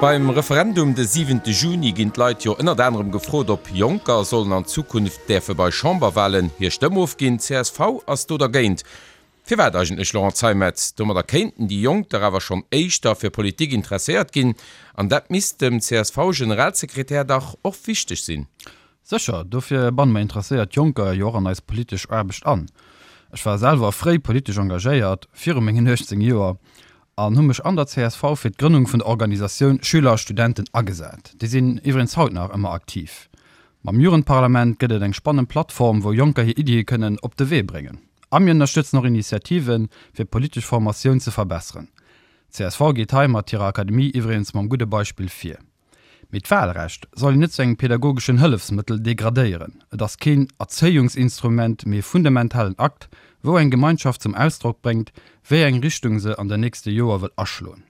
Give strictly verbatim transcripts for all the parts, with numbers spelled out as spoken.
Beim Referendum de siwente Juni ginn d'Leit jo ënnert anerem gefrot, ob Jonker sollen an Zukunft däerfe bei Chamberwalen hir Stëmm ofginn. Csv ass do dergéint. Firwat eigentlech, Laurent Zeimet? Domadder kéinten déi Jonk dach awer schonn éischter fir Politik interesséiert ginn. An dat misst dem CSV-Generalsekretär dach och wichteg sinn. Sécher, dofir banne mer interesséiert Jonker jo och an eis politesch Aarbecht an. Ech war selwer fréi politesch engagéiert, viru mengen uechtzéng Joer, an hu mech an der C S V fir d'Grënnung vun der Organisatioun Schüler a Studenten agesat. Déi sinn iwwregens haut nach ëmmer aktiv. Mam Jugendparlament gëtt et eng spannend Plattform, wou Jonker hir Iddie kënnen op de Wee bréngen. A mir ënnerstëtzen och Initiativen, fir d'politesch Formatioun ze verbesseren. C S V geet hei mat hirer Akademie iwwregens mam gudde Beispill vir. Mee d'Wahlrecht soll een net zu engem pädagogeschen Hëllefsmëttel degradéieren. Et ass keen Erzéiungsinstrument, mee e fundamentalen Akt, wou eng Gemeinschaft zum Ausdrock bréngt, wéi eng Richtung se an den nächste Joer wëll aschloen.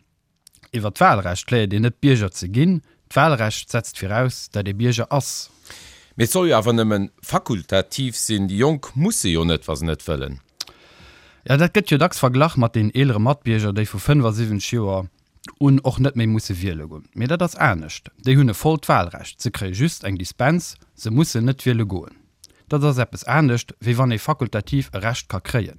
Iwwer d'Wahlrecht léiert een net Bierger ze ginn, d'Wahlrecht setzt viraus, dat ee Bierger ass. Mee et soll jo awer nëmme fakultativ sinn, déi Jonk musse jo net, wa se net wëllen. Jo, dat gëtt jo dacks verglach mat den eelere Matbierger, déi vu fënnefasiwwenzeg Joer un och net méi musse wiele goen. Mee dat ass anescht, déi hunn e vollt Wahlrecht, se kréie just eng Dispens, se mussen net wiele goen. Dat ass eppes anescht, wéi wann ee fakultativ e Recht ka kréien.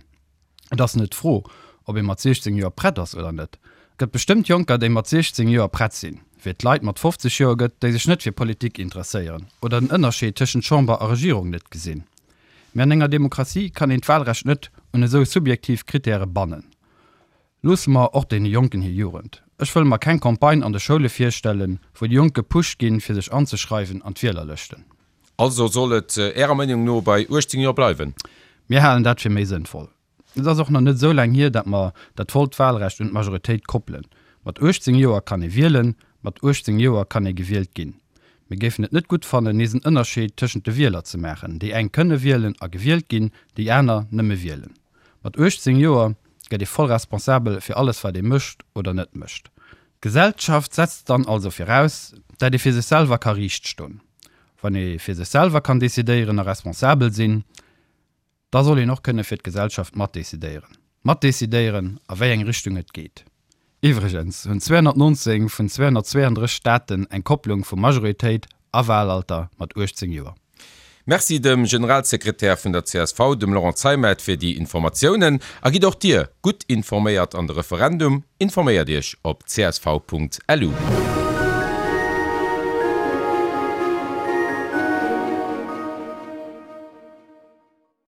Et ass net d'Fro, ob ee mat siechzéng Joer prett ass oder net. Et gëtt bestëmmt Jonker, déi mat siechzéng Joer prett sinn, wéi et Leit mat fofzeg Joer gëtt, déi sech net fir Politik interesséieren oder den Ënnerscheed tëschent Chamber a Regierung net gesinn. Mee an enger Demokratie kann een d'Wahlrecht net un esou subjektiv Krittäre bannen. Loosse mer och deene Jonken hir Jugend. Ech wëll mer keng Campagne an de Schoule virstellen, wou déi Jonk gepusht ginn, fir sech anzeschreiwen an d'Wielerlëschten. Also soll et Ärer Meenung no bei uechtzéng Joer bleiwen? Mir halen dat fir méi sënnvoll. Et ass och nach net esou laang hier, datt mer dat vollt Wahlrecht un d'Majoritéit koppelen. Mat uechtzéng Joer kann ee wielen, mat uechtzéng Joer kann ee gewielt ginn. Mir géifen et net gutt fannen, nees en Ënnerscheed tëschent de Wieler ze maachen, déi eng kënne wielen a gewielt ginn, déi aner nëmme wielen. Mat uechtzéng Joer gëtt ee voll responsabel fir alles wat ee mécht oder net mécht. D'Gesellschaft setzt dann also viraus, dat ee fir sech selwer ka riicht stoen. Wann ee fir sech selwer kann decidéieren a responsabel sinn, da soll een och kënne fir d'Gesellschaft matdecidéieren. Matdecidéieren, a wéi eng Richtung et geet. Iwwregens hunn zweehonnertnonzéng vun zweehonnertzweeandrësseg Staaten eng Kopplung vu Majoritéit a Wahlalter mat uechtzéng Joer. Merci dem Generalsekretär vun der C S V, dem Laurent Zeimet, fir déi Informatiounen. A gitt och Dir gutt informéiert an de Referendum, informéiert Iech op C S V Punkt L U.